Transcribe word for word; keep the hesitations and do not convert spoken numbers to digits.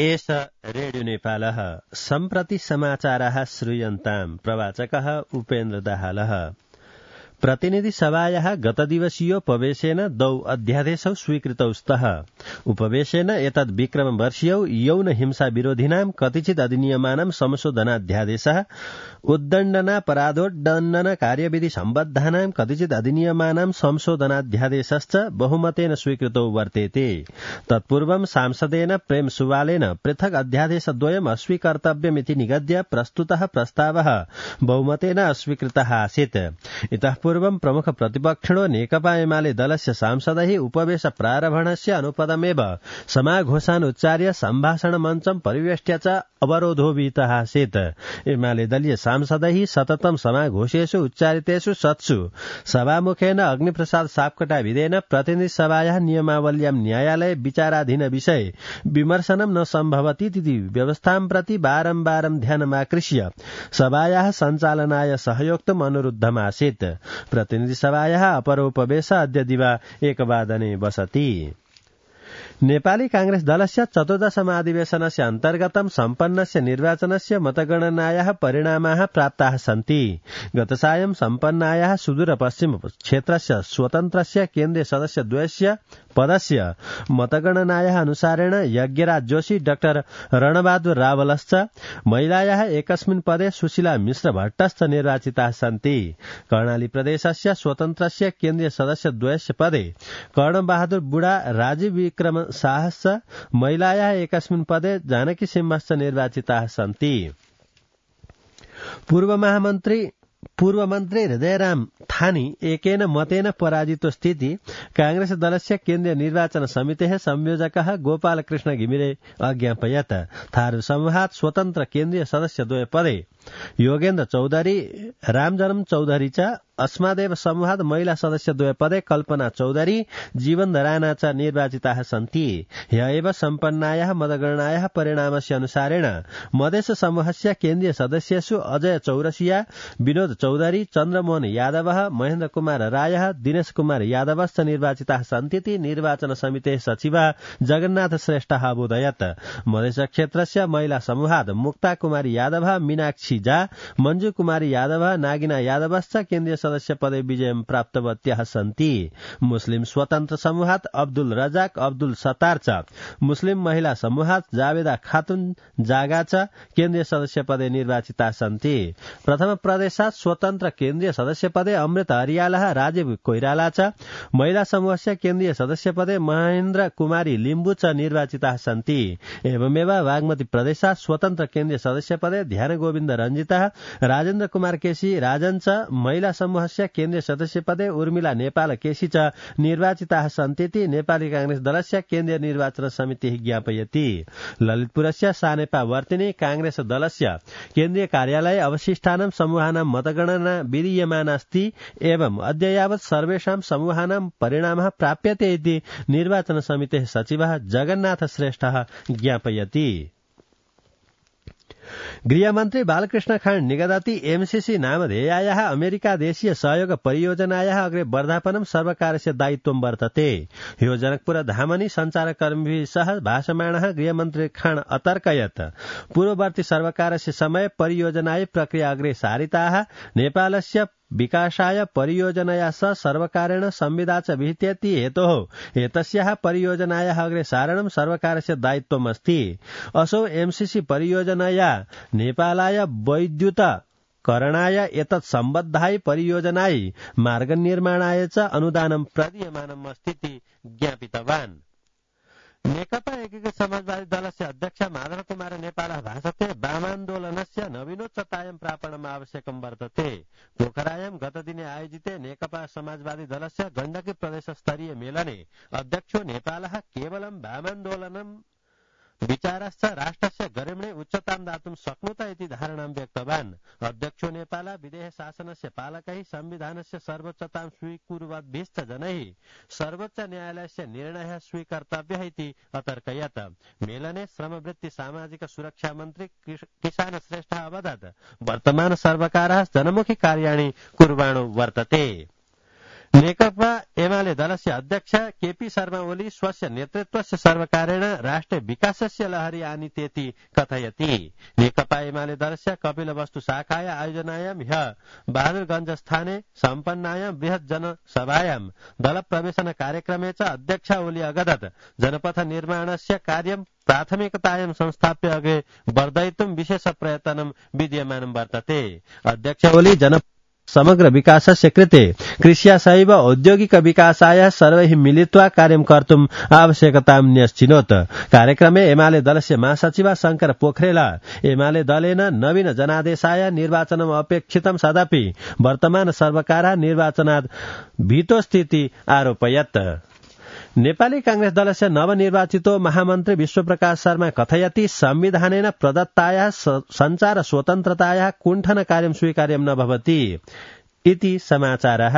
एष रेडियो नेपालः सम्प्रति समाचाराः श्रूयन्ताम् प्रवाचकः उपेन्द्र दाहालः। प्रतिनिधि सभायाः गतदिवसीयोपवेशेन द्वौ अध्यादेशौ स्वीकृतौ स्तः। उपवेशेन एतद् विक्रम वर्षीयौ यौन हिंसा विरोधिनां कतिचित् अधिनियमानां संशोधनाध्यादेशः, उद्दण्डनापराधोद्दण्डन कार्यविधि सम्बद्धानां कतिचित् अधिनियमानां संशोधनाध्यादेशश्च बहुमतेन स्वीकृतौ वर्तेते। तत्पूर्वं सांसदेन प्रेम सुवालेन पृथक् अध्यादेशद्वयम् अस्वीकर्तव्यमिति निगद्य प्रस्तुतः प्रस्तावः बहुमतेन अस्वीकृतः आसीत्। इतः पूर्वं प्रमुख प्रतिपक्षिणो नेकपा एमाले दलस्य सांसदैः उपवेश प्रारम्भणस्य अनुपदमेव समाघोषानुच्चार्य सम्भाषण मञ्चं परिवेष्ट्य च अवरोधो विहितः आसीत्। एमाले दलीय सांसदैः सततं समाघोषेषु उच्चारितेषु सत्सु सभामुखेन अग्निप्रसाद सापकोटाविदेन प्रतिनिधि सभायाः नियमावल्यां न्यायालय विचाराधीन विषये विमर्शनं न सम्भवतीति व्यवस्थां प्रति बारम्बारं ध्यानमाकृष्य सभायाः सञ्चालनाय सहयोक्तुम् अनुरुद्धमासीत्। प्रतिनिधि सभायाः अपरोपवेश अद्य दिवा एकवादने वसति। नेपाली कांग्रेस दलस्य चतुर्दशमाधिवेशनस्य अन्तर्गतं सम्पन्नस्य निर्वाचनस्य मतगणनायाः परिणामाः प्राप्ताः सन्ति। गतसायं सम्पन्नायाः सुदूरपश्चिम क्षेत्रस्य स्वतन्त्रस्य केन्द्रीय सदस्यद्वयस्य पदस्य मतगणनायाः अनुसारेण यज्ञराज जोशी, डाक्टर रणबहादुर रावलश्च, महिलायाः एकस्मिन् पदे सुशीला मिश्र भट्टश्च निर्वाचिताः सन्ति। कर्णाली प्रदेशस्य स्वतन्त्रस्य केन्द्रीय सदस्यद्वयस्य पदे कर्णबहादुर बुढा, राजीव विक्रम साहश्च, महिलायाः एकस्मिन् पदे जानकी सिंहश्च निर्वाचिताः सन्ति। पूर्व महामन्त्री पूर्व मन्त्री हृदयराम थानी एकेन मतेन पराजितो स्थिति कांग्रेस दलस्य केन्द्रीय निर्वाचन समितेः संयोजकः गोपालकृष्ण घिमिरे अज्ञापयत्। थारू समूहात् स्वतन्त्र केन्द्रीय सदस्यद्वय पदे योगेन्द्र चौधरी, रामजन्म चौधरी च, अस्मादेव समूहात् महिला सदस्यद्वय पदे कल्पना चौधरी, जीवन राणा च निर्वाचिताः सन्ति। ह्य एव सम्पन्नायाः मतगणनायाः परिणामस्य अनुसारेण मधेस समूहस्य केन्द्रीय सदस्येषु अजय चौरसिया, विनोद चौधरी, चन्द्रमोहन यादवः, महेन्द्र कुमार रायः, दिनेश कुमार यादवश्च निर्वाचिताः सन्तीति निर्वाचन समितेः सचिवः जगन्नाथ श्रेष्ठः अबोधयत्। मधेस क्षेत्रस्य महिला समूहात् मुक्ता कुमारी यादवः, मीनाक्षी झा, मञ्जु कुमारी यादवः, नागिना यादवश्च केन्द्रीय सदस्य पदे विजयं प्राप्तवत्याः सन्ति। मुस्लिम स्वतन्त्र समूहात् अब्दुल रजाक, अब्दुल सत्तार च, मुस्लिम महिला समूहात् जावेदा खातुन जागा च केन्द्रीय सदस्य पदे निर्वाचिताः सन्ति। प्रथम प्रदेशात् स्वतन्त्र केन्द्रीय सदस्य पदे अमृत हरियालः, राजीव कोइराला च, महिला समूहस्य केन्द्रीय सदस्य पदे महेन्द्र कुमारी लिम्बु च निर्वाचिताः सन्ति। एवमेव बागमती प्रदेशात् स्वतन्त्र केन्द्रीय सदस्य पदे ध्यान गोविन्द रञ्जितः, राजेन्द्र कुमार केसी राजन च, महिला समूहस्य केन्द्रीय सदस्य पदे उर्मिला नेपाल केसी च निर्वाचिताः सन्तीति नेपाली कांग्रेस दलस्य केन्द्रीय निर्वाचन समितिः ज्ञापयति। ललितपुरस्य सानेपा वर्तिनी कांग्रेस दलस्य केन्द्रीय कार्यालय अवशिष्टानां समूहानां मतगणना विधीयमानास्ति एवं अद्य यावत् सर्वेषां समूहानां परिणामः प्राप्यते इति निर्वाचन समितेः सचिवः जगन्नाथ श्रेष्ठः ज्ञापयति। गृहमन्त्री बालकृष्ण खाँड निगदति एमसीसी नामधेयायाः अमेरिका देशीय सहयोग परियोजनायाः अग्रे वर्धापनं सर्वकारस्य दायित्वं वर्तते। ह्यो जनकपुर धामनि सञ्चारकर्मीभिः सह भाषमाणः गृहमन्त्री खाँड अतर्कयत्। पूर्ववर्ती सर्वकारस्य समय परियोजनाय प्रक्रिया अग्रे सारिताः नेपालस्य विकासाय परियोजनया सह सर्वकारेण संविदा च विहितेति हेतोः एतस्याः परियोजनायाः अग्रे सारणं सर्वकारस्य दायित्वमस्ति। असौ एमसीसी परियोजनया नेपालाय वैद्युत करणाय एतत् सम्बद्धाय परियोजनाय मार्गनिर्माणाय च अनुदानं प्रदीयमानम् अस्तीति ज्ञापितवान्। नेकपा एकीकृत समाजवादी दलस्य अध्यक्ष माधव कुमार नेपालः भाषते वामान्दोलनस्य नवीनोच्चतायां प्रापणम् आवश्यकं वर्तते। पोखरायां गतदिने आयोजिते नेकपा समाजवादी दलस्य गण्डकी प्रदेश स्तरीय मेलने अध्यक्षो नेपालः केवलं वामान्दोलनं विचारश्च राष्ट्रस्य गरिम्णे उच्चतां दातुं शक्नुत इति धारणां व्यक्तवान्। अध्यक्षो नेपाल विदेह शासनस्य पालकैः संविधानस्य सर्वोच्चतां स्वीकुर्वद्भिश्च जनैः सर्वोच्च न्यायालयस्य निर्णयः स्वीकर्तव्यः इति अतर्कयत्। मेलने श्रमवृत्ति सामाजिक सुरक्षा मन्त्री किसान श्रेष्ठः अवदत् वर्तमान सर्वकारः जनमुखी कार्याणि कुर्वाणो वर्तते। नेकपा एमाले दलस्य अध्यक्ष केपी शर्मा ओली स्वस्य नेतृत्वस्य सर्वकारेण राष्ट्रिय विकासस्य लहरी आनीतेति कथयति। नेकपा एमाले दलस्य कपिलवस्तु शाखाय आयोजनायां ह्य बहादुरगञ्जस्थाने सम्पन्नायां बृहत् जनसभायां दल प्रवेशन कार्यक्रमे च अध्यक्ष ओली अगदत् जनपथ निर्माणस्य कार्यं प्राथमिकतायां संस्थाप्य अग्रे वर्धयितुं विशेष प्रयत्नं विद्यमानं वर्तते। अध्यक्ष ओली जन समग्र विकासस्य कृते कृष्या सैव औद्योगिक विकासाय सर्वैः मिलित्वा कार्यं कर्तुम् आवश्यकतां न्यस्चिनोत्। कार्यक्रमे एमाले दलस्य महासचिव शंकर पोखरेल एमाले दलेन नवीन जनादेशाय निर्वाचनम् अपेक्षितं सदपि वर्तमान सर्वकार निर्वाचनात् भीतो स्थिति आरोपयत्। नेपाली कांग्रेस दलस्य नवनिर्वाचितो महामन्त्री विश्वप्रकाश शर्मा कथयति संविधानेन प्रदत्तायाः सञ्चार स्वतन्त्रतायाः कुण्ठन कार्यं स्वीकार्यं न भवति इति समाचारः।